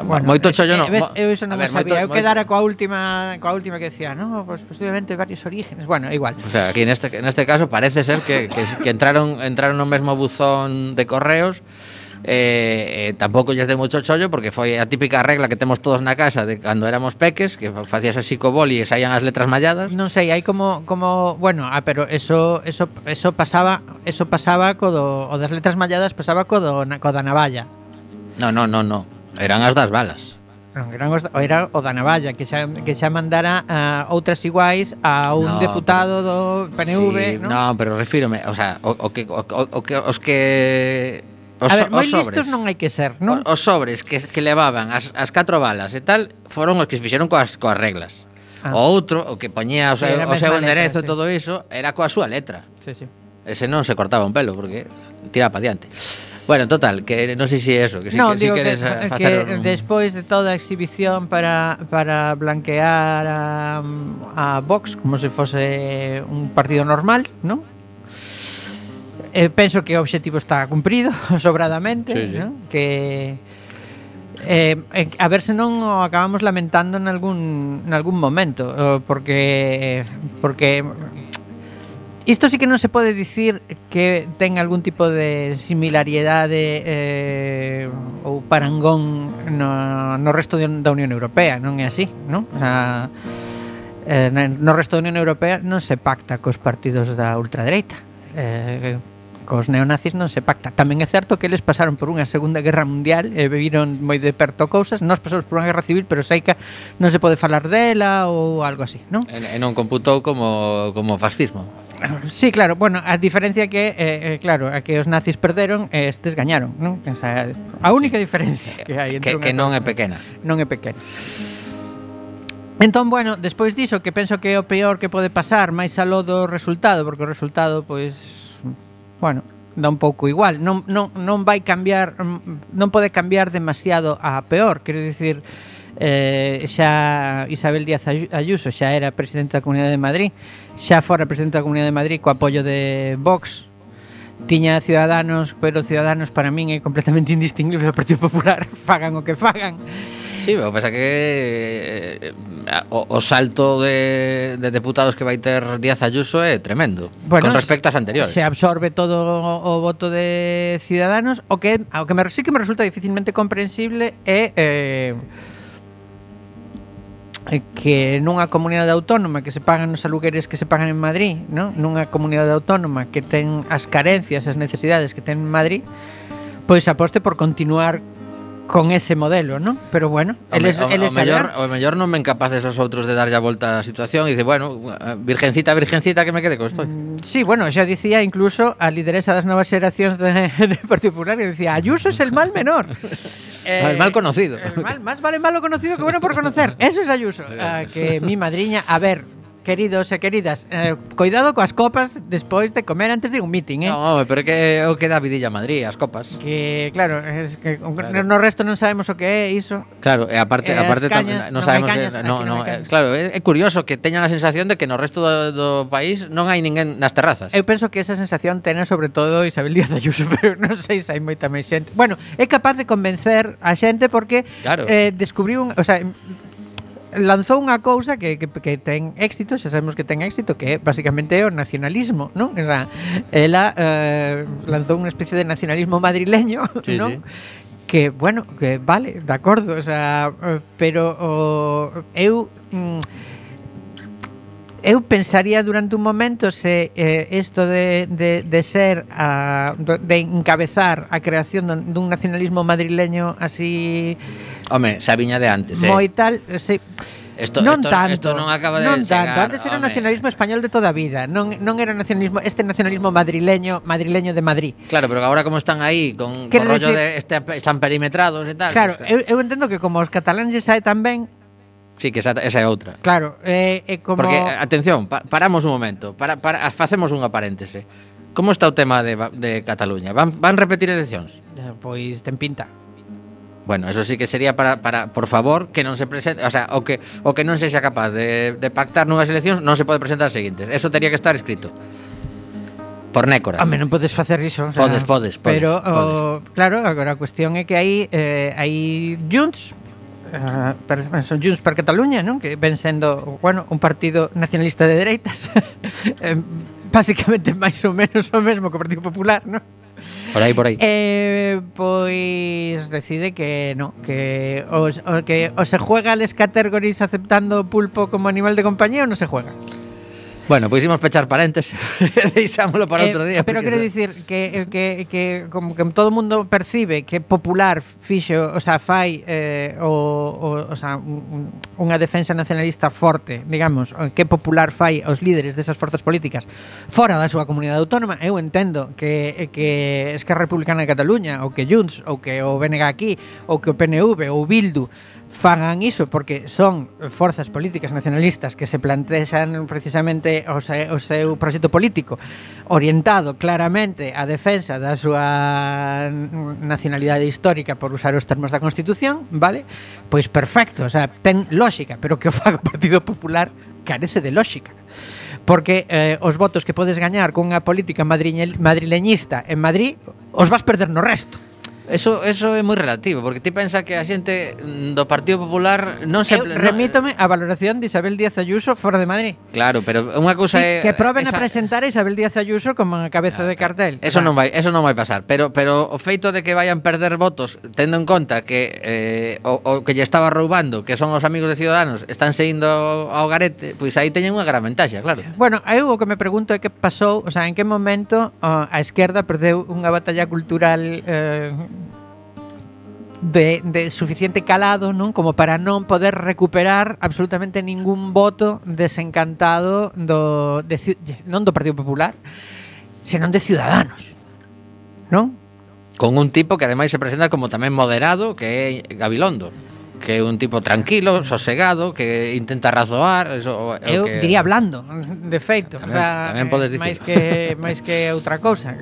Bueno, moito chollo non. Eu iso non sabía. Eu quedara coa última que decía, no, pues posiblemente varios orígenes. Bueno, igual. O sea, aquí neste caso parece ser que entraron no mesmo buzón de correos. Tampouco lles de moito chollo, porque foi a típica regla que temos todos na casa de cando éramos peques, que facías así co boli e saían as letras malladas. Non sei, hai como bueno, pero eso pasaba co das letras malladas, pasaba co da navalla. No. Eran as das balas. Non, era o da navalla que xa mandara outras iguais a un deputado do PNV, sí, non? pero refírome, o sea, os moi sobres, listos non hai que ser, non? Os sobres que levaban as 4 balas e tal foron os que se fixeron coas reglas. O outro, o que poñía o seu enderezo e todo iso, era coa súa letra. Sí. Ese non se cortaba un pelo porque tiraba para diante. Bueno, total, que non sei se eso, que si no, que, digo queres facer que despois de toda a exhibición para blanquear a Vox como se fose un partido normal, non? Penso que o obxectivo está cumprido sobradamente, sí. ¿no? Que a ver se non o acabamos lamentando en algún momento, porque isto sí que non se pode dicir que ten algún tipo de similaridade ou parangón no resto da Unión Europea, non é así, non? O sea, no resto da Unión Europea non se pacta cos partidos da ultradereita, cos neonazis non se pacta. Tamén é certo que eles pasaron por unha Segunda Guerra Mundial e viviron moi de perto cousas. Nós pasamos por unha guerra civil, pero sei que non se pode falar dela ou algo así, non? E non computou como fascismo. Sí, claro, bueno, a diferencia que claro, a que os nazis perderon e estes gañaron, non? O sea, a única diferencia que hai entre que non é pequena. Non é pequena. Entón, bueno, despois diso, que penso que é o peor que pode pasar, máis aló do resultado, porque o resultado, pois, bueno, dá un pouco igual. Non vai cambiar, non pode cambiar demasiado a peor, quero dicir, xa Isabel Díaz Ayuso xa era presidenta da Comunidade de Madrid, xa fora presidenta da Comunidade de Madrid co apoio de Vox, tiña Ciudadanos, pero Ciudadanos para min é completamente indistinguible do Partido Popular, fagan o que fagan. Sí, pero pasa que o salto de deputados que vai ter Díaz Ayuso é tremendo, bueno, con respecto ás anteriores. Se absorbe todo o voto de Ciudadanos, o que sí que me resulta dificilmente comprensible é que nunha comunidade autónoma que se pagan os alugueres que se pagan en Madrid, ¿no? Nunha comunidade autónoma que ten as carencias, as necesidades que ten en Madrid, pois aposte por continuar con ese modelo, ¿no? Pero bueno, eles o mellor non men capaces os outros de darlle a volta á situación e dice, bueno, virgencita que me quede con isto. Sí, bueno, xa dicía incluso a lideresa das novas xeracións de Partido Popular, que decía, Ayuso es el mal menor. El mal conocido. Más vale malo conocido que bueno por conocer. Eso es Ayuso. Que mi madriña, a ver, queridos e queridas, cuidado coas copas despois de comer antes de un meeting, No, pero é que o que dá vidilla a Madrid, as copas. Que, claro, es que claro. No resto non sabemos o que é iso. Claro, e aparte cañas, non sabemos claro, é curioso que teñan a sensación de que no resto do país non hai ninguén nas terrazas. Eu penso que esa sensación ten sobre todo Isabel Díaz Ayuso, pero non sei se hai moita máis xente. Bueno, é capaz de convencer a xente porque claro. Descubriu o sea, lanzou unha cousa que ten éxito, xa sabemos que ten éxito, que é basicamente o nacionalismo, non? O sea, ela lanzou unha especie de nacionalismo madrileño, sí, non? Sí. Que, bueno, que vale, de acordo, o sea, pero eu pensaría durante un momento se isto de ser de encabezar a creación dun nacionalismo madrileño así. Home, xa viña de antes, moi tal, sí. Isto non acaba de non chegar. Tanto. Antes era un nacionalismo español de toda a vida. Non era nacionalismo madrileño de Madrid. Claro, pero agora como están aí con rollo de están perimetrados e tal. Claro, pues, eu entendo que como os cataláns sae tamén. Sí, que esa é outra. Claro, como porque atención, paramos un momento, facemos unha paréntese. Como está o tema de Cataluña? Van repetir eleccións? Pois ten pinta. Bueno, eso sí que sería para por favor, que non se presente, o sea, o que non sexa capaz de pactar nunhas eleccións, non se pode presentar as seguintes. Eso tería que estar escrito. Por nécoras. Home, non podes facer iso, o sea, podes. Pero claro, agora a cuestión é que hai Junts, son Junts per Cataluña, non? Que ven sendo, bueno, un partido nacionalista de dereitas. Básicamente máis ou menos o mesmo que o Partido Popular, non? Por aí. Pois decide que no, que o se juega les categories aceptando o pulpo como animal de compañía ou non se juega. Bueno, pois imos pechar paréntesis. Deixámolo para outro día. Pero quero dicir que como que todo o mundo percibe que Popular fixo, o sea, fai o sea, unha defensa nacionalista forte, digamos, que Popular fai aos líderes desas forzas políticas fora da súa comunidade autónoma. Eu entendo que Esquerra Republicana de Cataluña, ou que Junts, ou que o BNG aquí, ou que o PNV ou Bildu fagan iso porque son forzas políticas nacionalistas que se plantexan precisamente o seu proxecto político orientado claramente á defensa da súa nacionalidade histórica, por usar os termos da Constitución, vale? Pois perfecto, o sea, ten lógica, pero que o faga o Partido Popular carece de lógica. Porque os votos que podes gañar con unha política madrileñista en Madrid os vas perder no resto. Eso é moi relativo, porque ti pensa que a xente do Partido Popular non se... Remítome a valoración de Isabel Díaz Ayuso fora de Madrid. Claro, pero unha cousa é... Que proben a presentar a Isabel Díaz Ayuso como a cabeza de cartel. Eso non vai pasar, pero o feito de que vayan perder votos, tendo en conta que o que lle estaba roubando, que son os amigos de Ciudadanos, están seguindo ao garete, pois aí teñen unha gran ventaxa, claro. Bueno, eu o que me pregunto é que pasou, o sea, en que momento a esquerda perdeu unha batalla cultural de suficiente calado, non, como para non poder recuperar absolutamente ningún voto desencantado non do Partido Popular, senón de Ciudadanos, non? Con un tipo que ademais se presenta como tamén moderado, que é Gabilondo, que é un tipo tranquilo, sosegado, que intenta razoar, eso eu que... diría blando, de feito, tamén, o sea, tamén podes dicir. máis que outra cousa,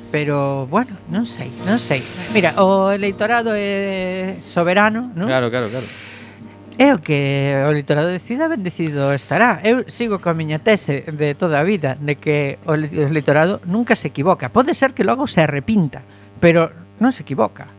pero bueno, non sei. Mira, o eleitorado é soberano, non? Claro. É o que o eleitorado decida, ben decidido estará. Eu sigo coa miña tese de toda a vida de que o eleitorado nunca se equivoca. Pode ser que logo se arrepinta, pero non se equivoca.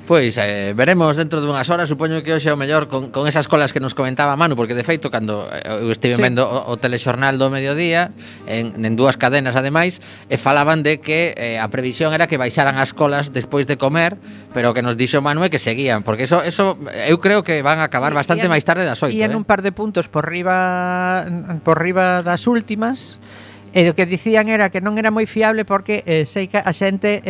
Pois veremos dentro dunhas horas, supoño que hoxe é o mellor con esas colas que nos comentaba Manu, porque de feito cando eu estive vendo o telexornal do mediodía en dúas cadenas ademais, falaban de que a previsión era que baixaran as colas despois de comer, pero que nos dixo Manu é que seguían, porque eso eu creo que van a acabar bastante máis tarde das 8. Ian un par de puntos por riba das últimas, e o que dicían era que non era moi fiable porque sei que a xente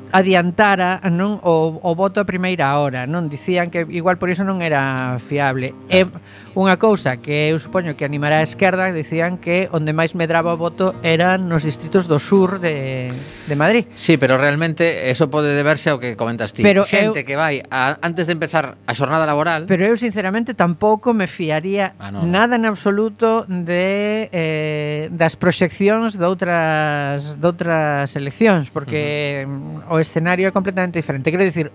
adiantara, non, o voto a primeira hora, non? Dicían que igual por iso non era fiable. É unha cousa que eu supoño que animará a esquerda, dicían que onde máis medraba o voto eran nos distritos do sur de Madrid. Sí, pero realmente eso pode deberse ao que comentas ti. Pero xente que vai antes de empezar a xornada laboral. Pero eu sinceramente tampouco me fiaría nada en absoluto das proxeccións de outras eleccións, porque o escenario é completamente diferente. Quero dicir,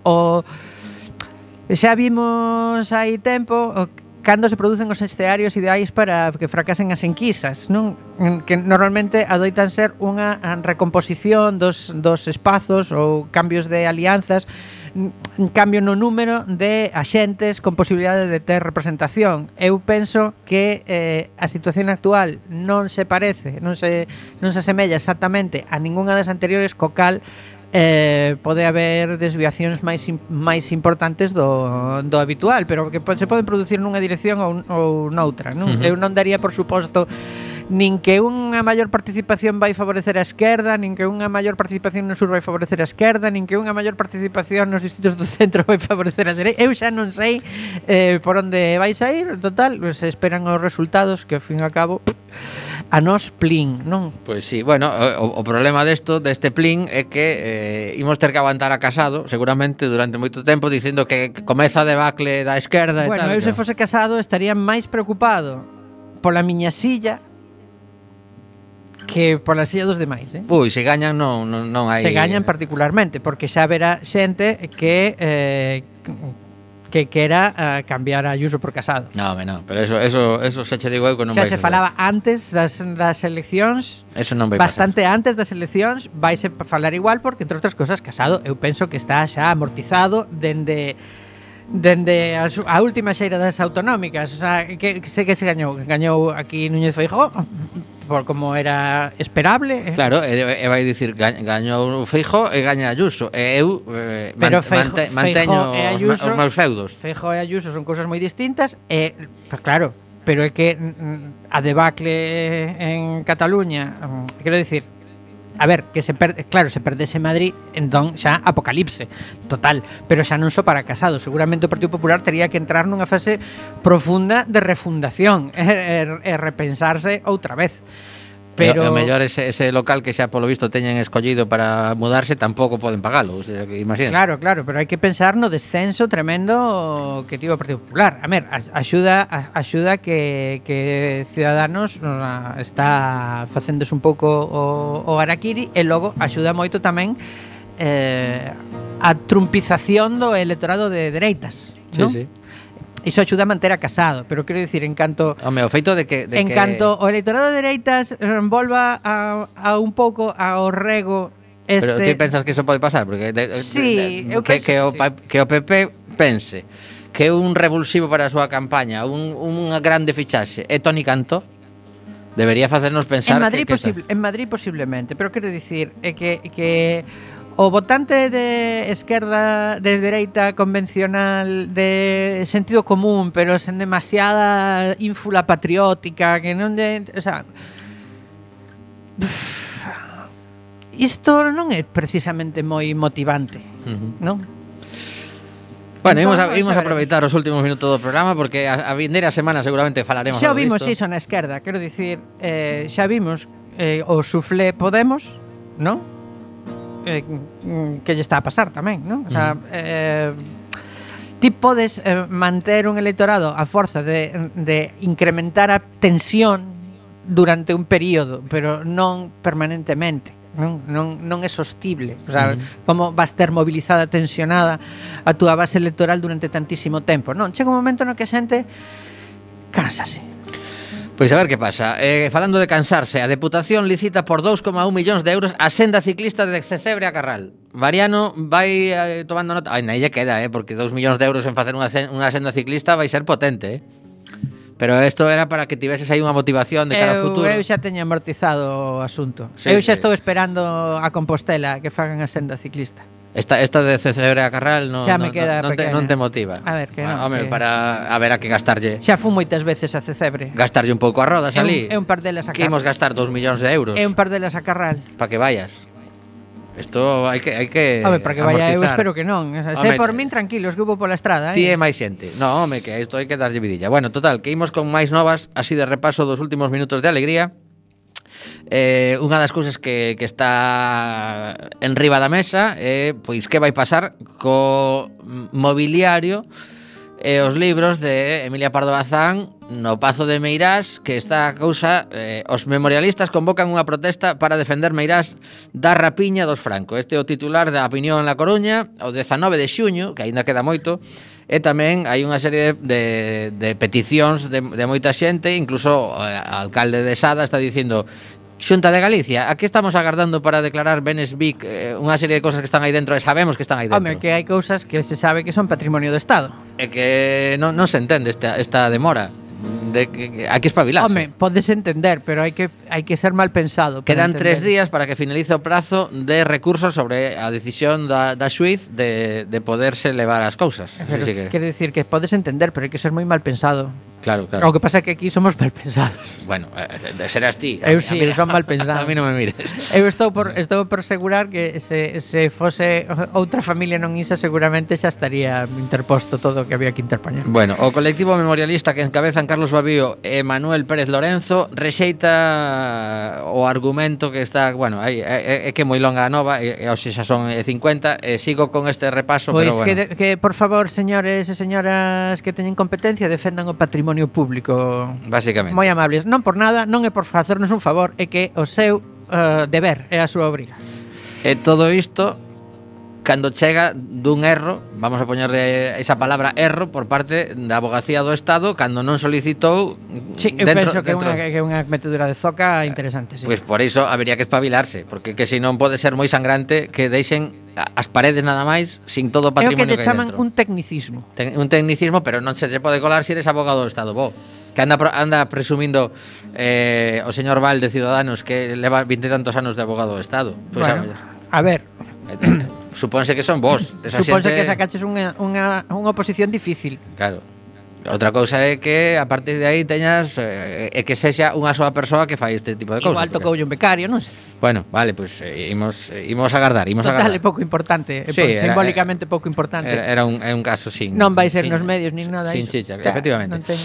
xa vimos hai tempo cando se producen os escenarios ideais para que fracasen as enquisas, non? Que normalmente adoitan ser unha recomposición dos espazos ou cambios de alianzas, un cambio no número de axentes con posibilidade de ter representación. Eu penso que a situación actual non se parece, non se asemella exactamente a ningunha das anteriores, co cal pode haber desviacións máis importantes do habitual, pero que se poden producir nunha dirección ou noutra, non? Eu non daría por suposto nin que unha maior participación vai favorecer a esquerda, nin que unha maior participación no sur vai favorecer a esquerda, nin que unha maior participación nos distritos do centro vai favorecer a dereita. Eu xa non sei por onde vai sair, total, se esperan os resultados que ao fin e ao cabo a nos plin, non? Pois sí, bueno, o problema deste plin é que imos ter que aguantar a Casado seguramente durante moito tempo dicindo que comeza a debacle da esquerda e tal. Bueno, eu se fose Casado estaría máis preocupado pola miña silla que pola silla dos demais, Ui, se gañan non hai... Se gañan particularmente, porque xa verá xente que quera cambiar a Ayuso por Casado. No, pero eso xa che digo eu que non vai. Xa se falaba antes das eleccións. Eso non vai bastante pasar. Antes das eleccións vaise falar igual porque, entre outras cousas, Casado eu penso que está xa amortizado dende a última xeira das autonómicas. O sea, que sei que se gañou aquí Núñez Feijóo por como era esperable. Claro, e vai dicir gañou Feijóo e gaña Ayuso. E eu manteño os meus feudos. Feijóo e Ayuso son cousas moi distintas e, pues claro, pero é que a debacle en Cataluña, quero dicir, a ver, que se perdese Madrid, entón xa apocalipse total, pero xa non só para Casado, seguramente o Partido Popular tería que entrar nunha fase profunda de refundación e repensarse outra vez. Pero o mellor ese local que xa polo visto teñen escollido para mudarse tampouco poden pagalo, o sea, que imagina. Claro, pero hai que pensar no descenso tremendo que tivo o Partido Popular. A ver, axuda que Ciudadanos está facéndose un pouco o harakiri, e logo axuda moito tamén a trumpización do electorado de dereitas, non? Sí. Iso axuda a manter a Casado, pero quero dicir, en canto o feito de que canto o electorado de dereitas volva a un pouco ao rego Pero ti pensas que iso pode pasar? Porque que o PP pense que un revulsivo para a súa campaña, unha grande fichaxe é Toni Cantó, debería facernos pensar en Madrid posiblemente, pero quero dicir é que o votante de esquerda, de dereita convencional, de sentido común, pero sen demasiada ínfula patriótica, que non de, o sea, isto non é precisamente moi motivante, non? Bueno, imos a aproveitar os últimos minutos do programa, porque a vindeira semana seguramente falaremos xa algo vimos disto. iso na esquerda, quero dicir, xa vimos o suflé Podemos, non? Que lle está a pasar tamén, non? O sea, ti podes manter un electorado a forza de incrementar a tensión durante un período, pero non permanentemente, non é sostible. O sea, como vas ter mobilizada, tensionada a túa base electoral durante tantísimo tempo, non? Chega un momento no que a xente cánsase. Pois a ver que pasa. Falando de cansarse, a Deputación licita por 2,1 millóns de euros a senda ciclista de Cecebre a Carral. Mariano vai tomando nota. Ai, nalle queda, porque 2 millóns de euros en facer unha senda ciclista vai ser potente, Pero isto era para que tiveses aí unha motivación de cara ao futuro. Eu xa teño amortizado o asunto. Sí, eu xa sí. estou esperando a Compostela que fagan a senda ciclista. Esta de Cecebre a Carral non te motiva. A ver, que non. Home, Que... para a ver a que gastarlle. Xa fun moitas veces a Cecebre. Gastarlle un pouco a rodas ali. É un par delas a Que imos gastar 2 millóns de euros. É un par delas a Carral. Para que vayas. Isto hai que Home, para que vaya eu amortizar. espero que non. O sea, se por min tranquilos que hubo pola estrada, Ti e máis xente. No, home, que isto hai que darlle vidilla. Bueno, total, que imos con máis novas, así de repaso dos últimos minutos de alegría. Unha das cousas que está en riba da mesa é pois que vai pasar co mobiliario e os libros de Emilia Pardo Bazán no Pazo de Meirás, que está a cousa, os memorialistas convocan unha protesta para defender Meirás da rapiña dos Franco. Este é o titular da opinión en La Coruña, o 19 de xuño, que aínda queda moito, e tamén hai unha serie de peticións de moita xente, incluso o alcalde de Sada está dicindo: Xunta de Galicia, aquí estamos agardando para declarar benes BIC, unha serie de cosas que están aí dentro e sabemos que están aí dentro. Home, que hai cousas que se sabe que son patrimonio do Estado. É que non se entende esta demora. De que hai que espabilarse. Home, podes entender, pero hai que ser mal pensado. Quedan 3 días para que finalice o prazo de recursos sobre a decisión da xuiz de poderse levar as cousas. Pero, quero dicir que podes entender, pero hai que ser moi mal pensado. Claro. O que pasa é que aquí somos mal pensados. Bueno, serás ti. Eu sí, son mal pensado. A mí non me mires. Eu estou por asegurar que se fose outra familia non isa, seguramente xa estaría interposto todo o que había que interpoñer. Bueno, o colectivo memorialista que encabezan Carlos Babío e Manuel Pérez Lorenzo rexeita o argumento que está, bueno, é que é moi longa a nova, e hoxe xa son 50, e sigo con este repaso, pois pero bueno. Que por favor, señores e señoras que teñen competencia, defendan o patrimonio público. Básicamente. Moi amables, non por nada, non é por facernos un favor, é que o seu deber é a súa obriga. E todo isto cando chega dun erro, vamos a poñerle esa palabra erro por parte da Abogacía do Estado cando non solicitou eu penso que é unha metedura de zoca interesante, sí. Pois por iso habería que espabilarse, porque que senón pode ser moi sangrante que deixen as paredes nada máis sin todo o patrimonio que hai dentro. É o que lle chaman un tecnicismo. Un tecnicismo, pero non se lle pode colar se eres abogado do Estado, que anda presumindo o señor Val de Ciudadanos que leva 20 e tantos anos de abogado do Estado. Pois bueno, a ver, supónse que son vos. Supónse que sacaches unha oposición difícil. Claro. Outra cousa é que a partir de aí teñas é que sexa unha soa persoa que fai este tipo de cousas. Igual tocoulle un becario, non sei. Bueno, vale, pues imos agardar, Total, é pouco importante, Sí, simbólicamente pouco importante. Era un caso sin... Non vai ser nos medios nin nada sin iso. chicha, efectivamente. Non ten...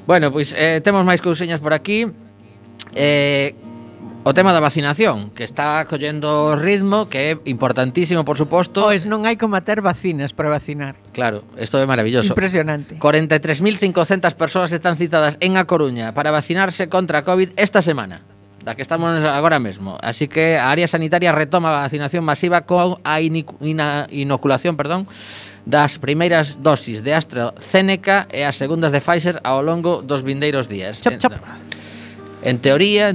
Bueno, pois temos máis cousiñas por aquí. O tema da vacinación, que está collendo ritmo, que é importantísimo, por suposto. Pois non hai como ter vacinas para vacinar. Claro, isto é maravilloso. Impresionante. 43.500 persoas están citadas en A Coruña para vacinarse contra a COVID esta semana, da que estamos agora mesmo. Así que a área sanitaria retoma a vacinación masiva con a inoculación, das primeiras dosis de AstraZeneca e as segundas de Pfizer ao longo dos vindeiros días. Chop, chop. En teoría,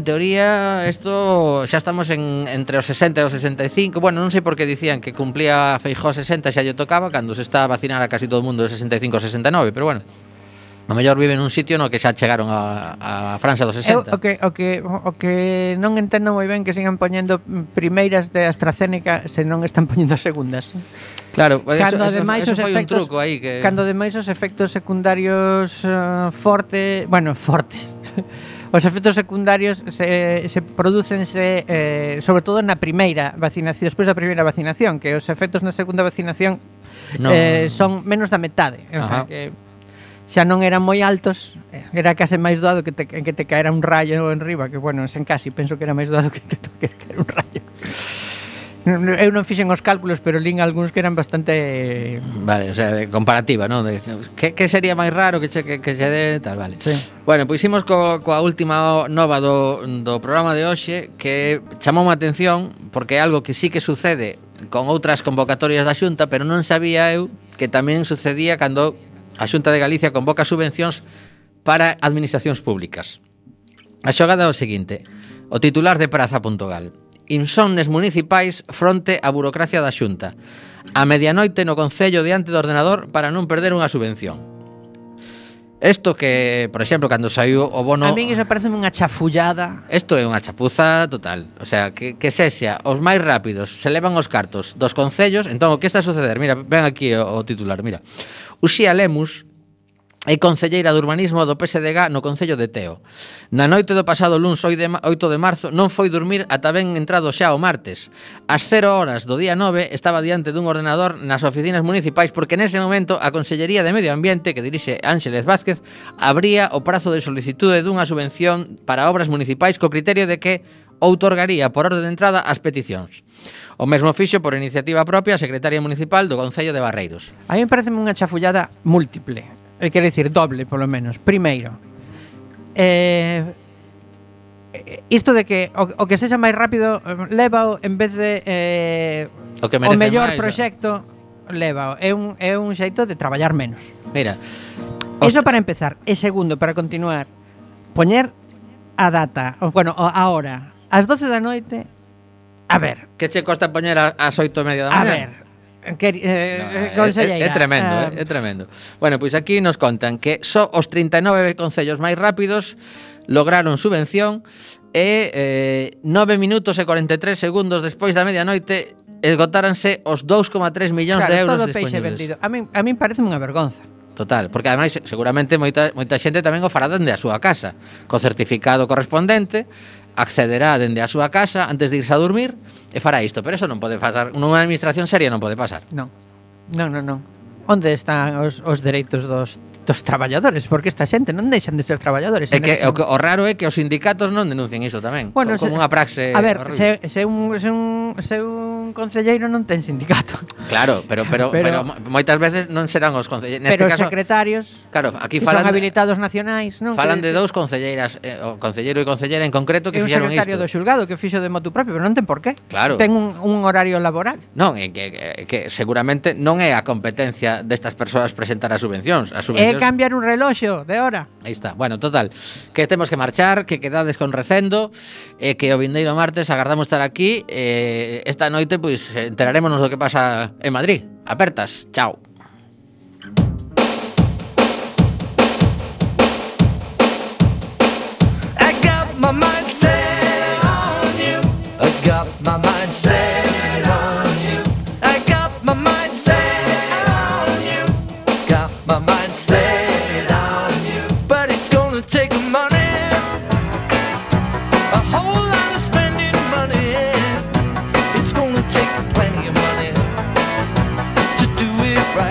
isto xa estamos entre os 60 e os 65. Bueno, non sei por que dicían que cumplía Feijóo 60 xa lle tocaba, cando se está a vacinar a casi todo o mundo de 65 ou 69, pero bueno, a mellor vive nun sitio no que xa chegaron a Francia dos 60. O que non entendo moi ben que sigan poñendo primeiras de AstraZeneca se non están poñendo segundas. Claro, cando eso foi un truco aí que... Cando ademais os efectos secundarios fortes. Os efectos secundarios se producense sobre todo na primeira vacinación, despois da primeira vacinación, que os efectos na segunda vacinación son menos da metade, o sea que xa non eran moi altos, era case máis doado que te caera un rayo enriba, que bueno, sen casi, penso que era máis doado que te caera un rayo. Eu non fixen os cálculos, pero lín algúns que eran bastante... Vale, o sea, de comparativa, non? Que sería máis raro que che dé tal, vale. Sí. Bueno, pois imos coa última nova do programa de hoxe, que chamou a atención porque é algo que sí que sucede con outras convocatorias da Xunta, pero non sabía eu que tamén sucedía cando a Xunta de Galicia convoca subvencións para administracións públicas. A xogada é o seguinte: o titular de Praza.gal: insomnes municipais fronte á burocracia da Xunta. A medianoite no Concello diante do ordenador para non perder unha subvención. Isto que, por exemplo, cando saiu o bono... A min iso parece unha chafullada. Isto é unha chapuza total. O sea, que sexa os máis rápidos se levan os cartos dos concellos. Entón, o que está a suceder? Mira, ven aquí o titular, mira. Uxía Lemus é concelleira de urbanismo do PSDG no Concello de Teo. Na noite do pasado luns 8 de marzo non foi dormir ata ben entrado xa o martes. Ás 0 horas do día 9 estaba diante dun ordenador nas oficinas municipais porque nese momento a Consellería de Medio Ambiente, que dirixe Ánxeles Vázquez, abría o prazo de solicitude dunha subvención para obras municipais co criterio de que outorgaría por orde de entrada as peticións. O mesmo fixo por iniciativa propia a secretaria municipal do Concello de Barreiros. A mí me parece unha chafullada múltiple. Quer dicir, doble, polo menos. Primeiro, isto de que o que sexa máis rápido lévao en vez de o mellor proxecto lévao. É un xeito de traballar menos. Mira, iso para empezar. E segundo, para continuar, poñer a data, a hora, ás 12 da noite. A ver, que che costa poñer ás 8:30 da mañá? A ver, conselleira. É tremendo, é tremendo. Bueno, pois aquí nos contan que só os 39 concellos máis rápidos lograron subvención e 9 minutos e 43 segundos despois da medianoite esgotáranse os 2,3 millóns de euros todo peixe disponibles. vendido. A min parece unha vergonza. Total, porque ademais seguramente moita xente tamén o fará dende a súa casa, co certificado correspondente, accederá dende a súa casa antes de irse a dormir e fará isto, pero eso non pode pasar, nunha administración seria non pode pasar. Non. Onde están os dereitos dos traballadores? Porque esta xente non deixan de ser traballadores. É que o raro é que os sindicatos non denuncien iso tamén, como unha praxe. A ver, se un concelleiro non ten sindicato. Claro, pero moitas veces non serán os concelleiros. Pero os secretarios, claro, aquí son habilitados nacionais, non? Falan de dous concelleiras, o concelleiro e concelleira en concreto que fixeron isto. É un secretario do xulgado que fixo de motu propio, pero non ten por qué. Claro. Ten un horario laboral. Non, é que seguramente non é a competencia destas persoas presentar as subvencións. Cambiar un reloxo de hora. Aí está. Bueno, total, que temos que marchar, que quedades con recendo, e que o vindeiro martes agardamos estar aquí. Esta noite, pois, enterarémonos do que pasa en Madrid. Apertas. Chao. I got my mind set